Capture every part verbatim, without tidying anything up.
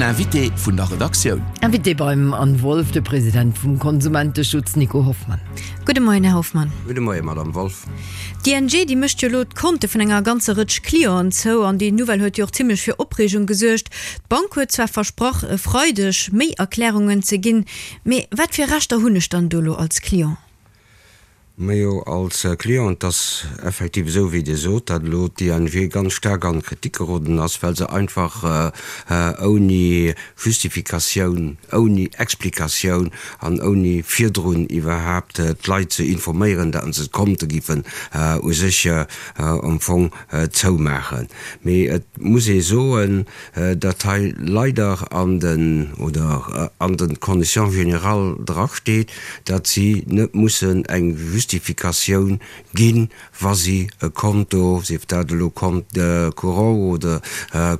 Invité vun der Redaktioun. Invité beim Anne Wolff, de President vum Konsumenteschutz Nico Hoffmann. Gudde Moien, Här Hoffmann. Gudde Moien, Madame Wolff. D'ING déi mécht jo elo d'Konte vun enger ganzer Rëtsch Clienten zou an déi Nouvelle huet jo och zimmlech fir Opreegung gesuergt. D'Bank huet zwar versprach e Freideg méi Erklärungen ze ginn, mee wat fir Rechter hunn ech dann do elo als Client? Majo, als Client, et ass effektiv esou wéi Dir sot, datt elo d'ING ganz staark an d'Kritik geroden ass, well se einfach ouni Justifikatioun, ouni Explikatioun an ouni virdrun iwwerhaapt d'Leit ze informéieren, datt se d'Konte giffen u sech am Fong zoumaachen. Mee et muss ee soen, datt hei leider an den, oder an den Conditions générales drasteet, datt si net mussen eng Justifikatioun ginn, wa si e Konto, sief dat elo Compte courant oder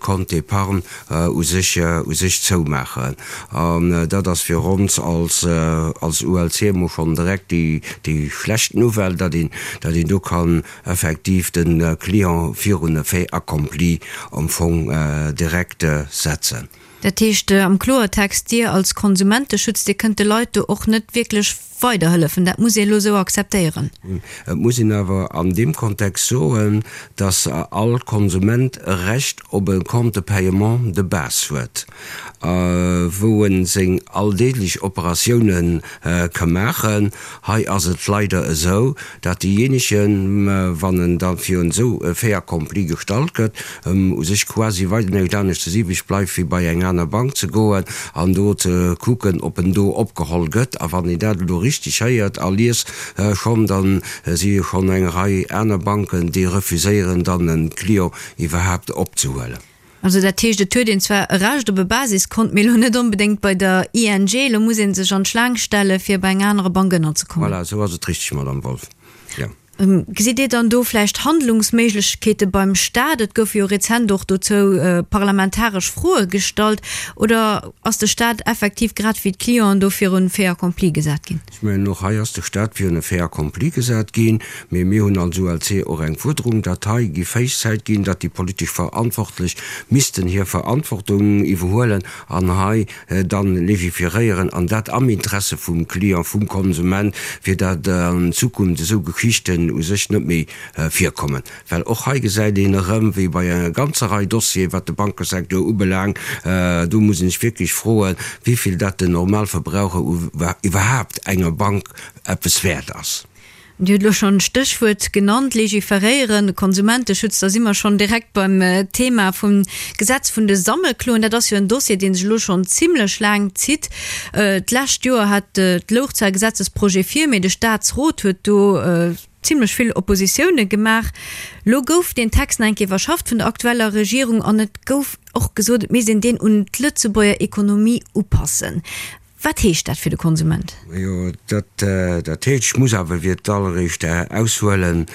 Compte d'épargne, u sech, u sech zoumaachen. An dat ass fir ons als, als ULC emol schonn direkt déi, déi schlecht Nouvelle, datt een, datt een do kann effektiv de Client virun e Fait accompli am Fong direkt setzen. Dat heescht am Kloertext, Dir als Konsumenteschutz, Dir kënnt de Leit do och net wierklech weiderhëllefen. Dat muss ee elo esou akzeptéieren. Et muss een awer an deem Kontext soen, dass all Konsument e Recht op e Compte de paiement de base huet, wou e seng alldeeglech Operatiounen ka maachen. Hei ass et leider esou, dat deejéinegen, wann en da virun esou e Fait accompli gestallt gëtt, u sech quasi weider näischt aneschters iwwreg bleift, wéi bei eng aner Bank ze goen an do ze kucken, ob en do opgeholl gëtt. A wann een dat elo richteg héiert a liest schonn, da si jo schonn eng Rei aner Banken, déi refuséieren dann e Client iwwerhaapt opzehuelen. Also dat heescht, et huet een zwar e Recht op e Basiskont, mee elo net onbedéngt bei der ING. Elo muss ee sech an d'Schlaang stelle fir bei eng anerer Bank ënnerzekommen. Voilà, esou ass et richteg, Madame Wolff, jo. Gesitt Dir dann do vläicht Handlungsméiglechkeete beim Staat? Et goufe jo rezent och dozou parlamentaresch Froe gestallt. Oder ass de Staat effektiv grad wéi d'Clienten do virun e Fait accompli gesat ginn? Ech mengen, och hei ass de Staat virun e Fait accompli gesat ginn. Mee mir hunn als ULC och eng Fuerderung, datt hei géif héich Zäit ginn, datt déi politesch Verantwortlech missten hir Verantwortung iwwerhuelen an hei dann legiferéieren, an dat am Interesse vum Client, vum Konsument, fir datt an Zukunft esou Geschichten u sech net méi virkommen. Well och hei gesäit een erëm, wéi bei enger ganzer Rei Dossieren, wat de Bankesecteur ubelaangt, do muss een sech wierklech froen, wéivill dat den Normalverbraucher iwwerhaapt enger Bank eppes wäert ass. Dir hutt elo schonn d'Stéchwuert genannt, légiféréieren, Konsumenteschutz, da si mer schonn direkt beim Thema vum Gesetz vun de Sammelkloen. Dat ass jo en Dossier, dee sech elo schonn zimlech laang zitt. D'lescht Joer hat, louch zwar e Gesetzesprojet vir, mee de Statsrot huet do zimlech vill Oppositioune gemaach. Elo gouf deen Text nach eng Kéier iwwerschafft vun der aktueller Regierung an et gouf och gesot, et misst een deen un d'Lëtzebuerger Ekonomie upassen. Wat heescht dat fir de Konsument? Jo, dat, dat heescht, ech muss awer fir d'alleréischt aushuelen,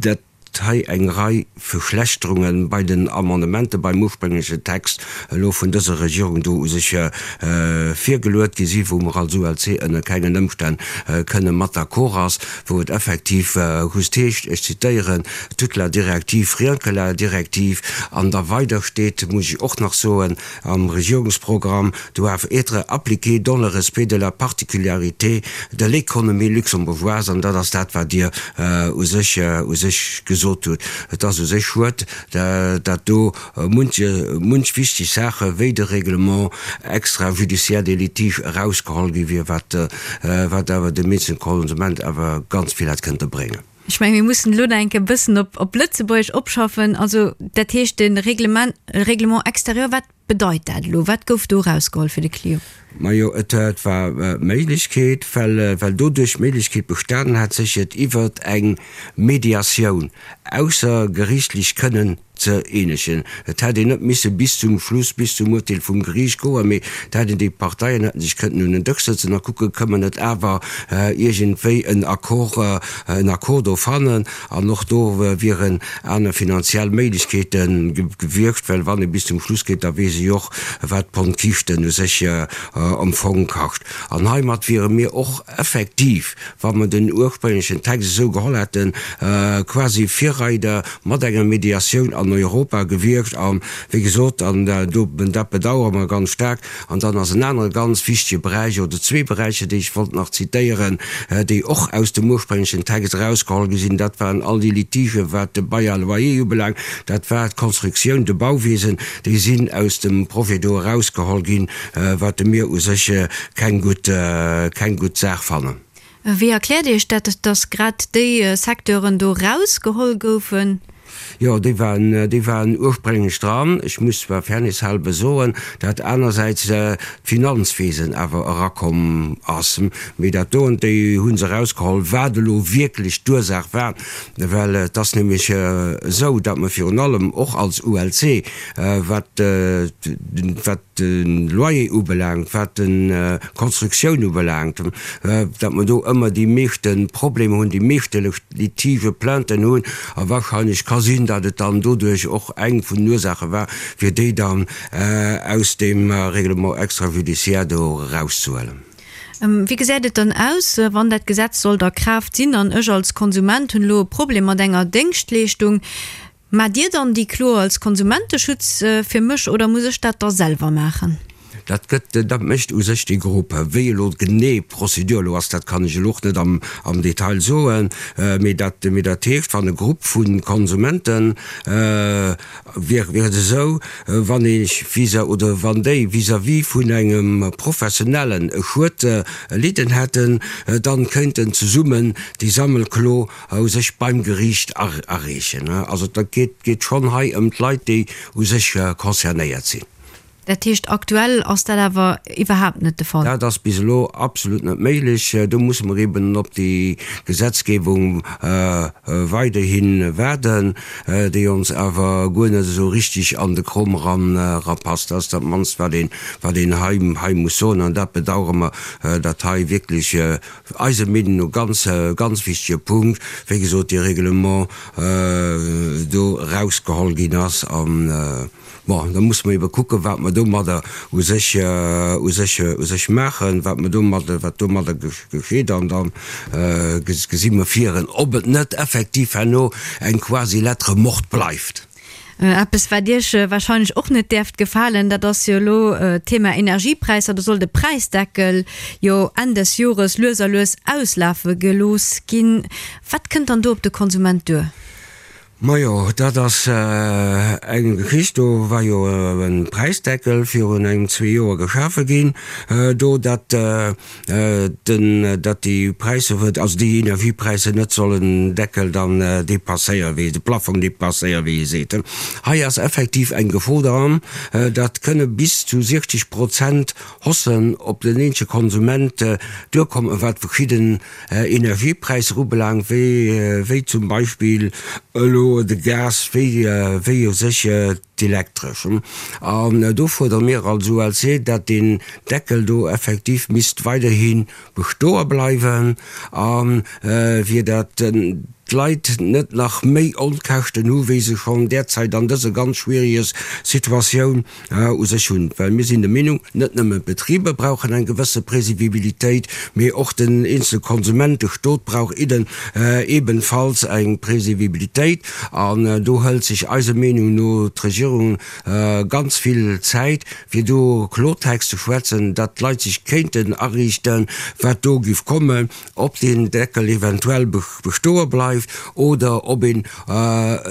dat hei eng Rei Verschlechterunge bei den Amendementen beim ursprénglechen Text elo vun dëser Regierung do u sech virgeluet gi si, wou mer als ULC ënner kengen Ëmstänn kënne mat d'accord ass, wou et effektiv just heescht, ech zitéieren, toute la directive, rien que la directive, an da weider steet, muss ech och nach soen, am Regierungsprogramm, doivent être appliquées dans le respect de la particularité de l'économie luxembourgeoise, an dat ass dat, wat Dir u sech, u sech gesot hutt. Et ass u sech schued, datt do munch, munch wichteg Saache wéi de Règlement extrajudiciaire des litiges erausgeholl gi wier, wat, wat awer dem eenzelne Konsument awer ganz vill hätt kënnte bréngen. Ech mengen, mir mussen elo nach eng Kéier e bëssen op, op Lëtzebuergesch opschaffen. Also, dat heescht, de Reglement, Règlement extérieur, wat bedeit dat elo? Wat gouf do erausgeholl fir de Client? Majo, et war d'Méiglechkeet, well, well doduerch d'Méiglechkeet bestanen hat, sech et iwwert eng Mediatioun aussergeriichtlech kënnen ze eenegen. Et hätt een net misse bis zum Schluss, bis zum Urteel vum Geriicht goen, mee et hätten déi Parteien hätten sech kënnten un en Dësch sëtzen a kucken, Kënne mer net awer iergendwéi en Accord, en Accord do fannen? An och do wieren aner finanziell Méiglechkeete gewiescht, well wann ee bis zum Schluss geet, da weess ee jo och, wat d'Pond Kiischten u sech am Fong kascht. An heimat wiere mir och effektiv, wa mer den ursprénglechen Text esou geholl hätten, quasi Virreider mat enger Mediatioun an an Europa gewiescht. A wéi gesot, an do, dat bedauere mer ganz staark. An dann ass en anere ganz wichtege Beräich, oder zwee Beräicher, déi ech wollt nach zitéieren, déi och aus dem ursprénglechen Text erausgeholl gi sinn, dat waren all déi Litigen, wat de Bail à loyer ubelaangt, dat war d'Konstruktioun, de Bauwiesen, déi sinn aus dem Projet do erausgeholl ginn, wat mir u sech keng gutt, keng gutt Saach fannen. Wéi erkläert Dir Iech dat, dass grad déi Secteuren do erausgeholl goufen? Jo, déi waren, déi waren ursprénglech dran. Ech muss zwar fairnesshalber soen, dat anersäits d'Finanzwesen awer erakomm ass. Mee dat doen, déi hu se erausgeholl. Wat elo wierklech d'Ursaach war, well et ass nämlech esou, datt mer virun allem och als U L C, wat, wat de Loyer ubelaangt, wat d'Konstruktioun ubelaangt, datt mer do ëmmer déi meeschte Problemer hunn, déi meeschte Litigë, Plainten hunn. A wahrscheinlech ka sinn, datt et dann doduerch och eng vun den Ursaache war, fir déi dann aus deem Règlement extrajudiciaire do erauszehuelen. Wéi gesäit et dann aus, wann dat Gesetz sollt a Kraaft sinn an ech als Konsument hunn elo e Problem mat enger Déngschtleeschtung? Maacht Dir dann déi Klo als Konsumenteschutz fir mech oder muss ech dat da selwer maachen? Dat gëtt, dat mécht u sech déi Grupp. Wéi elo genee d'Prozedur elo ass, dat kann ech elo och net am, am Detail soen. Mee dat, mee dat heescht, wann e Grupp vu Konsumenten, wier, wier et esou, wann ee vis-à, oder wann déi vis-à-vis vun engem Professionellen e Schued erlidden hätten, dann kéinten zesummen déi Sammelklo u sech beim Geriicht areechen. Also dat geet, geet schonn hei ëm d'Leit, déi u sech concernéiert sinn. Dat heescht, aktuell ass dat awer iwwerhaapt net de Fall? Dat ass bis elo absolut net méiglech. Do musse mer eben op déi Gesetzgebung weiderhi waarden, déi ons awer guer net esou richtig an de Krom eran erapasst. Dat ass dat mannst, wat een, wat een hei, hei muss soen. An dat bedauere mer, datt hei wierklech eiser Meenung no ganz, ganz wichtige Punkt, wéi gesot, dee Reglement do erausgeholl ginn ass. An bon, da musse mer ebe kucken, wat mer domadder u sech, u sech, u sech maachen, wat mer domadder, wat domadder geschitt. An da gesi mer viren, ob et net effektiv herno eng quasi Lettre morte bleift. Eppes, wat Iech wahrscheinlech och net däerft gefalen, dat ass jo elo d'Thema Energiepräisser. Do soll de Präisdeckel jo Enn des Jores lues a lues auslafe gelooss ginn. Wat kënnt dann do op de Konsument duer? Majo, dat ass eng Geschicht, do war jo e Präisdeckel virun engem zwee Joer geschafe ginn, do datt den, datt déi Präisser, also déi Energiepräisser net sollen Deckel dann dépasséieren, wéi de Plafong dépasséieren, wéi ee seet. Hei ass effektiv eng Gefor dran, datt kënne bis zu siechzeg Prozent Haussen op den eenzele Konsument duerkommen, wat verschidden Energiepräisser ubelaangt, wéi, wéi zum Beispill elo de Gas, wéi, wéi u sech d'Elektresch. An do fuerdere mir als U L C, datt deen Deckel do effektiv misst weiderhi bestoe bleiwen, a fir datt d'Leit net nach méi Onkäschten hu, wéi se schonn derzäit an dëser ganz schwieriger Situatioun u sech hunn. Well mir sinn der Meenung, net nëmmen d'Betriber brauchen eng gewësse Prévisibilitéit, mee och den eenzele Konsument, de Stot brauch idden, ebenfalls eng Prévisibilitéit. An do hëlt sech eiser Meenung no d'Regierung ganz vill Zäit, fir do Klotext ze schwätzen, datt d'Leit sech kéinten ariichten, wat do giff kommen, ob den Deckel eventuell bestoe bleift oder ob een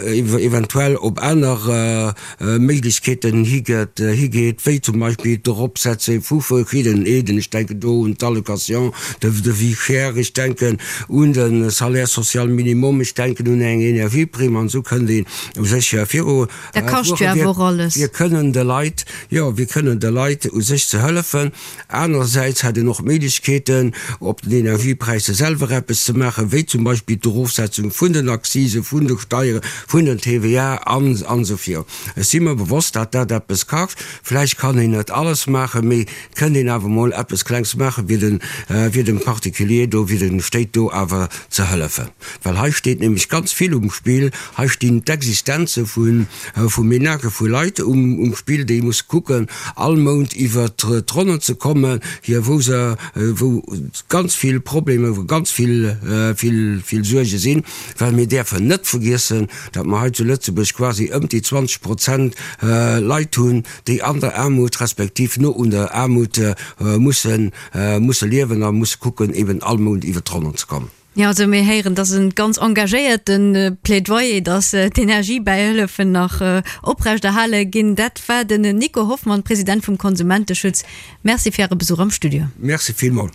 eventuell op aner Méiglechkeeten higeet, higeet, wéi zum Beispill d'Eropsetze vu verschiddenen Aiden. Ech denken do un d'Allocation de, de vie chère, ech denken un den Salaire social minimum, ech denken un eng Energieprime, an esou kënnt een u sech viru. Dat kascht jo awer och alles. Wir kënnen de Leit, jo, wir kënnen de Leit u sech ze hëllefen. Anerersäits hätt een och Méiglechkeeten, op den Energiepräisser selwer eppes ze maachen, wéi zum Beispill d'Erofsetzung vun den Accisen, vun de Steieren, vun den T V A an, an so viru. Ech si mir bewosst, datt dat eppes kascht. Vläicht kann een net alles maachen, mee kënnt een awer mol eppes Klengs maachen, fir den, fir dem Particulier do, fir den Stéit do awer ze hëllefen. Well hei steet nämlech ganz vill um Spiel. Hei stinn d'Existenze vun, vu Ménagë vu Leit um, um Spiel, déi muss kucken, all Mount iwwer d'Ronnen ze kommen, hier wou se, wou ganz vill Probleme, wou ganz vill, vill, vill Suerge sinn. Well mir däerfen net vergiessen, datt mer hei zu Lëtzebuerg quasi ëm déi zwanzeg Prozent Leit hunn, déi an der Aarmut respektiv no un der Aarmut musse musse liewen a musse kucken, eben all Mount iwwert d'Ronnen ze kommen. Jo, also mir héieren, dat ass e ganz engagéierte Plädoyer, datt d'Energiebäihëllefen nach oprechterhale ginn. Dat war den Nico Hoffmann, President vum Konsumenteschutz. Merci fir Äre Besuch am Studio. Merci villmol.